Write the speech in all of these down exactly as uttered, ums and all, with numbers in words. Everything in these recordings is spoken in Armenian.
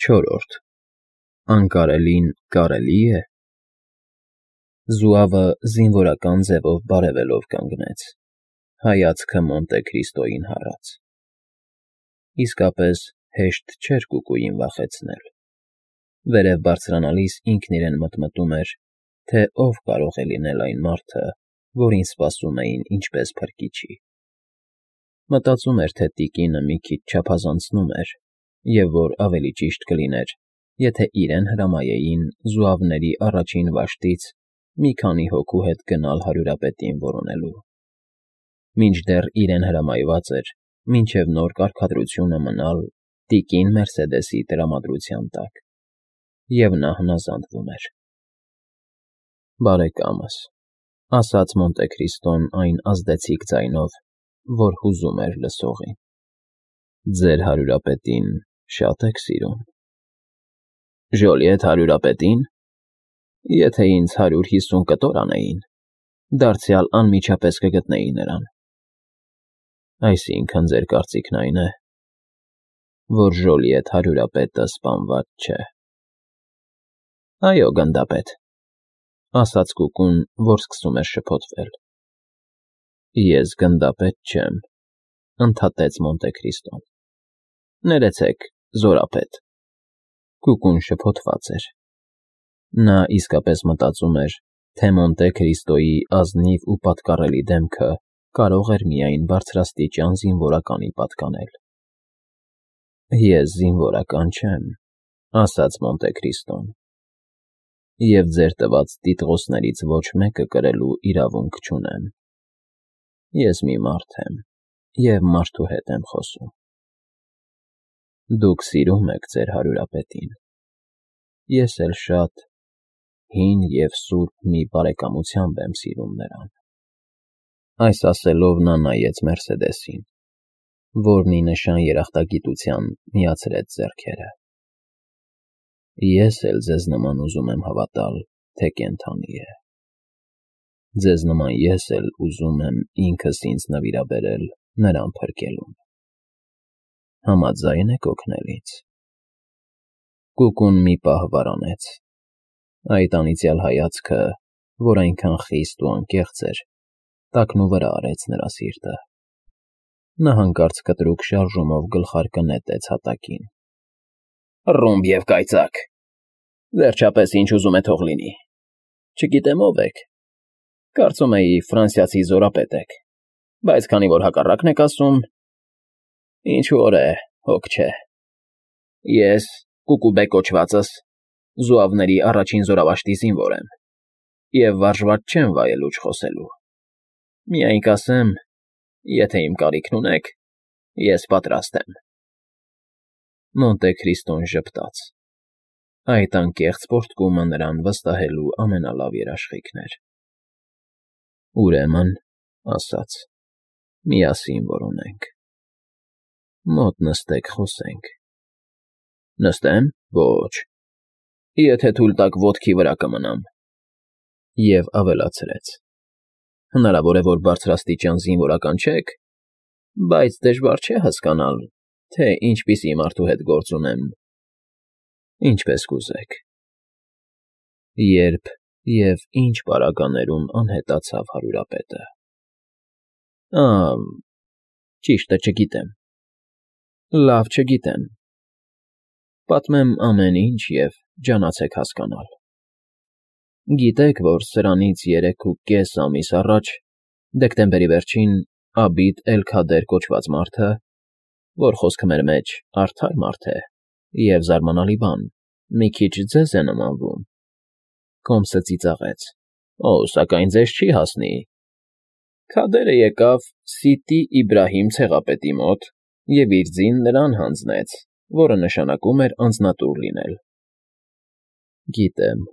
Չորրորդ Անկարելին կարելի է։ Զուավը զինվորական ձևով բարևելով կանգնեց, հայացքը Մոնտե Քրիստոյին հառած։ Իսկապես հեշտ չէր կուկուին վախեցնել։ Վերև բարձրանալիս ինքն իրեն մտմտում էր, թե ով կարող է լինել այն մարդը, որին սպասում էին ինչպես փրկիչի։ Մտածում էր, թե տիկինը մի քիչ չափազանցնում էր, և որ ավելի ճիշտ կլիներ, եթե իրեն հրամայեին զուավների առաջին վաշտից մի քանի հոգու հետ գնալ հարյուրապետին որոնելու։ Մինչդեռ իրեն հրամայված էր մինչև նոր կարգադրությունը մնալ տիկին Մերսեդեսի տրամադրության տակ, և նա հնազանդվում էր։ Բարեկամս, ասաց Մոնտե Քրիստոն այն ազդեցիկ ձայնով, որ հուզում էր լսողին, ձեր հարյուրապետին շա՞տ եք սիրում։ Ժոլիետ հարյուրապետի՞ն։ Եթե ինձ հարյուր հիսուն կտոր անեին, դարձյալ անմիջապես կգտնեի նրան։ Այսինքն ձեր կարծիքն այն է, որ Ժոլիետ հարյուրապետը սպանված չէ։ Այո, գնդապետ, ասաց կուկուն, որ սկսում էր շփոթվել։ Ես գնդապետ չեմ, ընդհատեց Մոնտե Քրիստոն։ Ներեցեք, զորապետ։ Կուկուն շփոթված էր։ Նա իսկապես մտածում էր, թե Մոնտե Քրիստոյի ազնիվ ու պատկառելի դեմքը կարող էր միայն բարձրաստիճան զինվորականի պատկանել։ Ես զինվորական չեմ, ասաց Մոնտե Քրիստոն, և ձեր տված տիտղոսներից ոչ մեկը կրելու իրավունք չունեմ։ Ես մի մարդ եմ և մարդու հետ եմ խոսում։ Դուք սիրում եք ձեր հարյուրապետին։ Ես էլ շատ հին և սուրբ մի բարեկամությամբ եմ սիրում նրան։ Այս ասելով նա նայեց Մերսեդեսին, որն ի նշան երախտագիտության միացրեց ձեռքերը։ Ես էլ ձեզ նման ուզում եմ հավատալ, թե կենդանի է։ Ձեզ նման ես էլ ուզում եմ ինքս ինձ նվիրաբերել նրան փրկելուն։ Համաձա՞յն եք օգնել ինձ։ Կուկուն մի պահ վարանեց։ Այդ անիծյալ հայացքը, որ այնքան խիստ ու անկեղծ էր, տակնուվրա արեց նրա սիրտը։ Նա հանկարծ կտրուկ շարժումով գլխարկը նետեց հատակին։ Ռումբ և կայծակ։ Վերջապես ինչ ուզում է թող լինի։ Չգիտեմ ով եք։ Կարծում էի ֆրանսիացի զորապետ եք, բայց քանի որ հակառակն եք ասում, ինչ որ է, հոգ չէ։ Ես Կուկուբե կոչվածս զուավների առաջին զորավաշտի զինվոր եմ, և վարժված չեմ վայելուչ խոսելու։ Միայն կասեմ, եթե իմ կարիքն ունեք, ես պատրաստ եմ։ Մոնտե Քրիստոն ժպտաց։ Այդ անկեղծ պոռթկումը նրան վստահելու ամենալավ երաշխիքն էր։ Ուրեմն, ասաց, միասին որոնենք։ Մոտ նստեք, խոսենք։ Նստեմ, ոչ։ Եթե թույլ տաք ոտքի վրա կմնամ։ Եվ ավելացրեց. Հնարավոր է, որ բարձրաստիճան զինվորական չեք, բայց դժվար չէ հասկանալ, թե ինչպիսի մարդու հետ գործ ունեմ։ Ինչպես կուզեք։ Երբ և ինչ պարագաներում անհետացավ հարյուրապետը։ Ա, ճիշտը չգիտեմ։ Լավ չգիտեմ։ Պատմեմ ամեն ինչ և ջանացեք հասկանալ։ Գիտեք, որ սրանից երեք ու կես ամիս առաջ, դեկտեմբերի վերջին, Աբիդ էլ֊Քադեր կոչված մարդը, որ խոսքը մեր մեջ արդար մարդ է և զարմանալի բան, մի քիչ ձեզ է նմանվում, կոմսը ծիծաղեց։ Օ, սակայն ձեզ չի հասնի։ Քադերը եկավ Սիտի Իբրահիմ ցեղապետի մոտ և իր ձին նրան հանձնեց, որը նշանակում էր անձնատուր լինել։ Գիտեմ։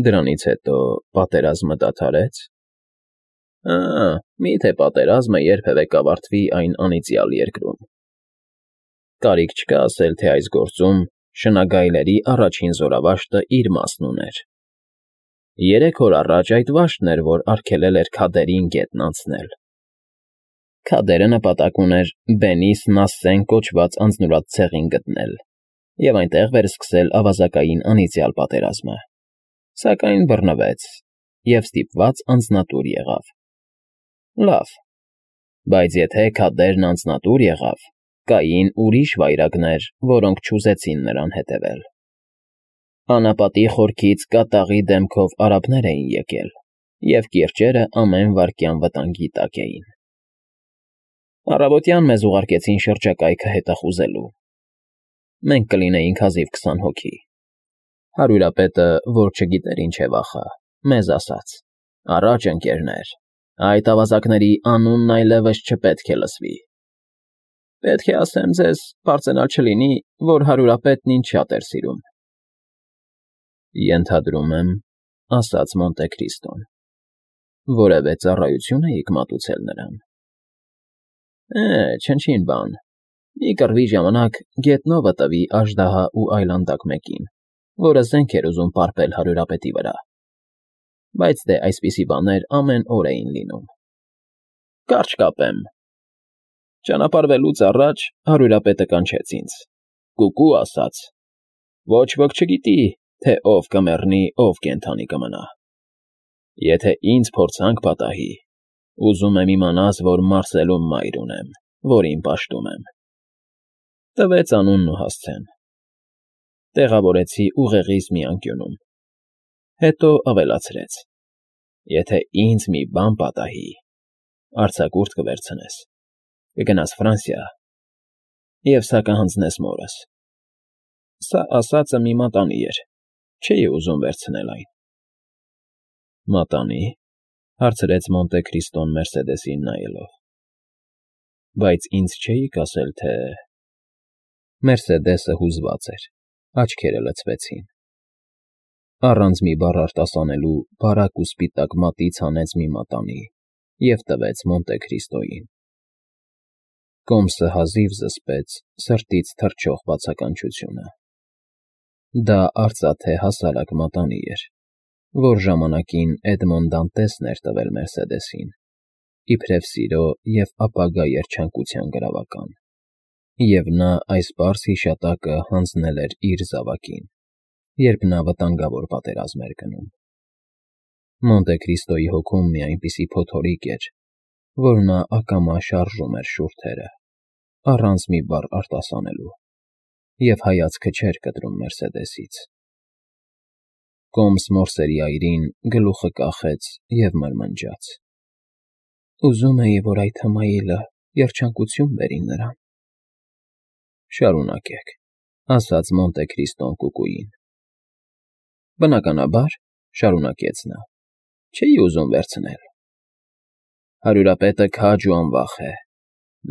Դրանից հետո պատերազմը դադարեց։ Ա, մի՞թե պատերազմը երբևէ կավարտվի այն անիծյալ երկրում։ Կարիք չկա ասել, թե այս գործում շնագայլների առաջին զորավաշտը իր մասն ուներ։ Երեք օր առաջ այդ վաշտն էր, որ արգելել էր Քադերին գետն անցնել։ Քադերը նպատակ ուներ Բենիս Նասսեն կոչված անձնուրաց ցեղին գտնել և այնտեղ վերսկսել ավազակային անիծյալ պատերազմը, սակայն բռնվեց և ստիպված անձնատուր եղավ։ Լավ, բայց եթե քադերն անձնատուր եղավ, կային ուրիշ վայրագներ, որոնք չուզեցին նրան հետևել։ Անապատի խորքից կատաղի դեմքով արաբներ էին եկել, և կիրճերը ամեն վայրկյան վտանգի տակ էին։ Առավոտյան մեզ ուղարկեցին շրջակայքը հետախուզելու։ Մենք կլինեինք հազիվ քսան հոգի։ Հարյուրապետը, որ չգիտեր ինչ է վախը, մեզ ասաց. «Առաջ, ընկերներ, այդ ավազակների անունն այլևս չպետք է լսվի»։ Պետք է ասեմ ձեզ, պարծենալ չլինի, որ հարյուրապետն ինձ շատ էր սիրում։ Ենթադրում եմ, ասաց Մոնտե Քրիստոն, որևէ ծառայություն էիք մատուցել նրան։ Է, չնչին բան, մի կռվի ժամանակ գետնովը տվի աժդահա ու այլանդակ մեկին, որը զենք էր ուզում պարպել հարյուրապետի վրա, բայց դե այսպիսի բաներ ամեն օր էին լինում։ Կարճ կապեմ. ճանապարհվելուց առաջ հարյուրապետը կանչեց ինձ, կուկու ասաց. ոչ ոք չգիտի, թե ով կմեռնի, ով կենդանի կմնա։ Եթե ինձ փորձանք պատահի, ուզում եմ իմանաս, որ Մարսելում մայր ունեմ, որին պաշտում եմ։ Տվեց անունն ու հասցեն։ Տեղավորեցի ուղեղիս մի անկյունում։ Հետո ավելացրեց. եթե ինձ մի բան պատահի, արձակուրդ կվերցնես, կգնաս Ֆրանսիա և սա կհանձնես մորս։ Սա ասածը մի մատանի էր, չէի ուզում վերցնել այն։ Մատանի՞, հարցրեց Մոնտե Քրիստոն Մերսեդեսին նայելով։ Բայց ինձ չէիք ասել, թե… Մերսեդեսը հուզված էր, աչքերը լցվեցին։ Առանց մի բառ արտասանելու բարակ ու սպիտակ մատից հանեց մի մատանի և տվեց Մոնտե Քրիստոյին։ Կոմսը հազիվ զսպեց սրտից թռչող բացականչությունը։ Դա արծաթե հասարակ մատանի էր, որ ժամանակին Էդմոն Դանտեսն էր տվել Մերսեդեսին, իբրև սիրո և ապագա երջանկության գրավական, և նա այս պարզ հիշատակը հանձնել էր իր զավակին, երբ նա վտանգավոր պատերազմ էր գնում։ Մոնտե Քրիստոյի հոգում մի այնպիսի փոթորիկ էր, որ նա ակամա շարժում էր շուրթերը, առանց մի բառ արտասանելու, և հայացքը չէր կտրում Մերսեդեսից։ Կոմս մորսերի այրին գլուխը կախեց և մրմնջաց. Ուզում էի, որ այդ հմայիլը երջանկություն բերի նրան։ Շարունակեք, ասաց Մոնտե Քրիստոն կուկուին։ Բնականաբար, շարունակեց նա, չէի ուզում վերցնել։ Հարյուրապետը քաջ ու անվախ է,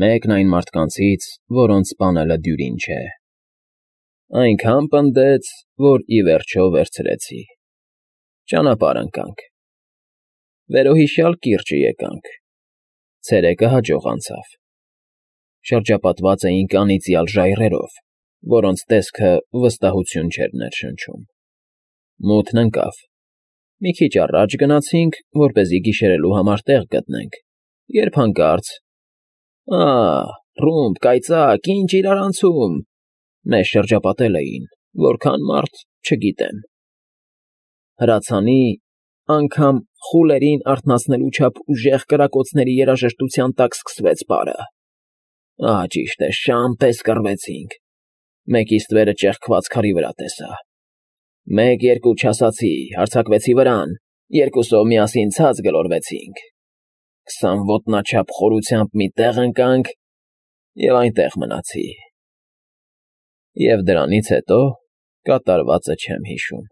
մեկն այն մարդկանցից, որոնց սպանելը դյուրին չէ։ Այնքան պնդեց, որ ի վերջո վերցրեցի։ Ճանապարհ ընկանք։ Վերոհիշյալ կիրճը եկանք։ Ցերեկը հաջող անցավ։ Շրջապատված էինք անիծյալ ժայռերով, որոնց տեսքը վստահություն չէր ներշնչում։ Մութն ընկավ։ Մի քիչ առաջ գնացինք, որպեսզի գիշերելու համար տեղ գտնենք, երբ հանկարծ… Ա՜, ռումբ, կայծակ, ինչ իրարանցում… Մեզ շրջապատել էին, որքան մարդ, չգիտեմ։ Հրացանի, անգամ խուլերին արթնացնելու չափ ուժեղ կրակոցների երաժշտության տակ սկսվեց պարը։ Ահա ճիշտ է, շան պես կռվեցինք։ Մեկի ստվերը ճեղքված քարի վրա տեսա։ Մեկ֊երկու չասացի, հարձակվեցի վրան, երկուսով միասին ցած գլորվեցինք։ Քսան ոտնաչափ խորությամբ մի տեղ ընկանք և այնտեղ մնացի։ Եվ դրանից հետո կատարվածը չեմ հիշում։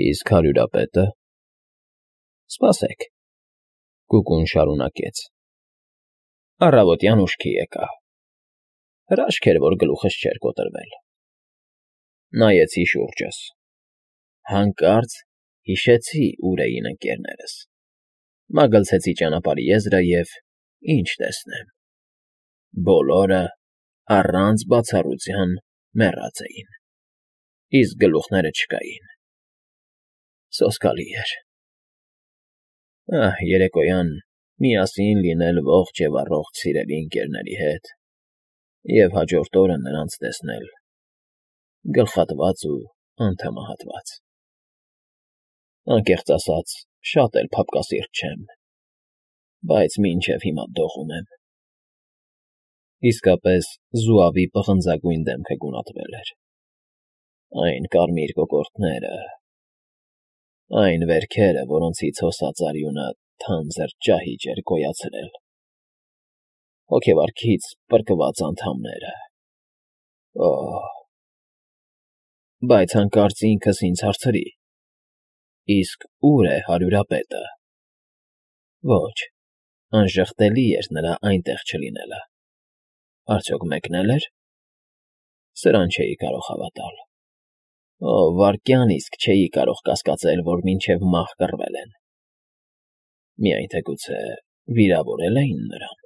Իսկ հարյուրապետը… Սպասեք, կուկուն շարունակեց. Առավոտյան ուշքի եկա։ Հրաշք էր, որ գլուխս չէր կոտրվել։ Նայեցի շուրջս։ Հանկարծ հիշեցի ուր էին ընկերներս։ Մագլցեցի ճանապարհի եզրը և… ինչ տեսնեմ… Բոլորը, առանց բացառության, մեռած էին, իսկ գլուխները չկային։ Սոսկալի էր… Ահ, երեկոյան միասին լինել ողջ և առողջ սիրելի ընկերների հետ և հաջորդ օրը նրանց տեսնել գլխատված ու անդամահատված։ Անկեղծ ասած, շատ էլ փափկասիրտ չեմ, բայց մինչև հիմա դողում եմ։ Իսկապես զուավի պղնձագույն դեմքը գունատվել էր։ Այն կարմիր կոկորդները, այն վերքերը, որոնցից հոսած արյունը թանձր ճահիճ էր գոյացրել, հոգեվարքից պրկված անդամները… Օհ… Բայց հանկարծ ինքս ինձ հարցրի. իսկ ո՞ւր է հարյուրապետը։ Ոչ, անժխտելի էր նրա այնտեղ չլինելը։ Արդյոք մեկնել էր… Սրան չէի կարող հավատալ։ Օ, վայրկյան իսկ չէի կարող կասկածել, որ մինչև մահ կռվել են… Միայն թե գուցե վիրավորե՞լ էին նրան…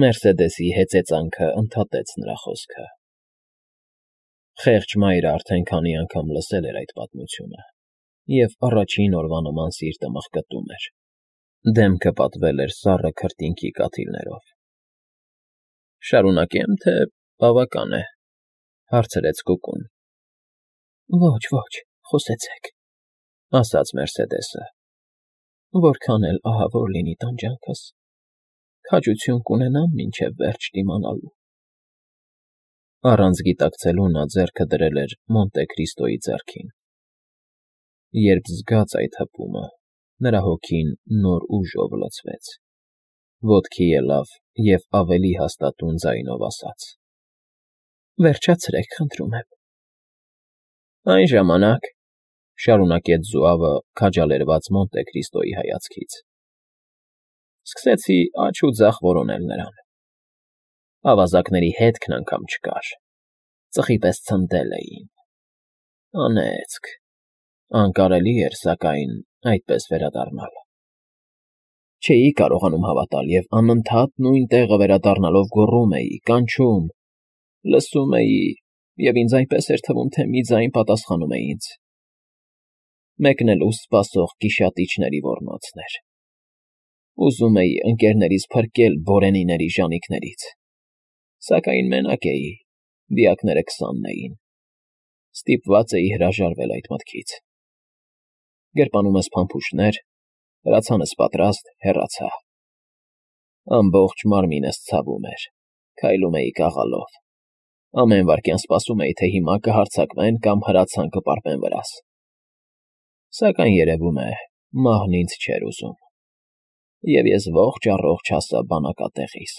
Մերսեդեսի հեծեծանքը ընդհատեց նրա խոսքը։ Խեղճ մայրը արդեն քանի անգամ լսել էր այդ պատմությունը և առաջին օրվա նման սիրտը մղկտում էր, դեմքը պատվել էր սառը քրտինքի կաթիլներով։ ֊ Շարունակե՞մ, թե բավական է,֊ հարցրեց Կուկուն։ ֊ Ոչ, ոչ, խոսեցեք,֊ ասաց Մերսեդեսը,֊ որքան էլ ահավոր լինի տանջանքս, քաջություն կունենամ մինչև վերջ դիմանալու… Առանց գիտակցելու նա ձեռքը դրել էր Մոնտե Քրիստոյի ձեռքին։ Երբ զգաց այդ հպումը, նրա հոգին նոր ուժով լցվեց, ոտքի ելավ և ավելի հաստատուն ձայնով ասաց. վերջացրեք, խնդրում եմ… Այն ժամանակ,֊ շարունակեց զուավը քաջալերված Մոնտե Քրիստոյի հայացքից,֊ սկսեցի աջ ու ձախ որոնել նրան… Ավազակների հետքն անգամ չկար, ծխի պես ցնդել էին… Անեծք… Անկարելի էր, սակայն, այդպես վերադառնալ… Չէի կարողանում հավատալ և անընդհատ նույն տեղը վերադառնալով գոռում էի, կանչում, լսում էի, և ինձ այնպես էր թվում, թե մի ձայն պատասխանում է ինձ… Մեկնելու սպասող գիշատիչների ոռնոցն էր… Ուզում էի ընկներներիս փրկել բորենիների ժանիքներից… Սակայն մենակ էի, դիակները քսանն էին… Ստիպված էի հրաժարվել այդ մտքից… Գրպանումս փամփուշտներ, հրացանս պատրաստ, հեռացա… Ամբողջ մարմինս ցավում էր, քայլում էի կաղալով… Ամեն վայրկյան սպասում էի, թե հիմա կհարձակվեն կամ հրացան կպարպեն վրաս… Սակայն, երևում է, մահն ինձ չէր ուզում… Եվ ես ողջ առողջ հասա բանակատեղիս…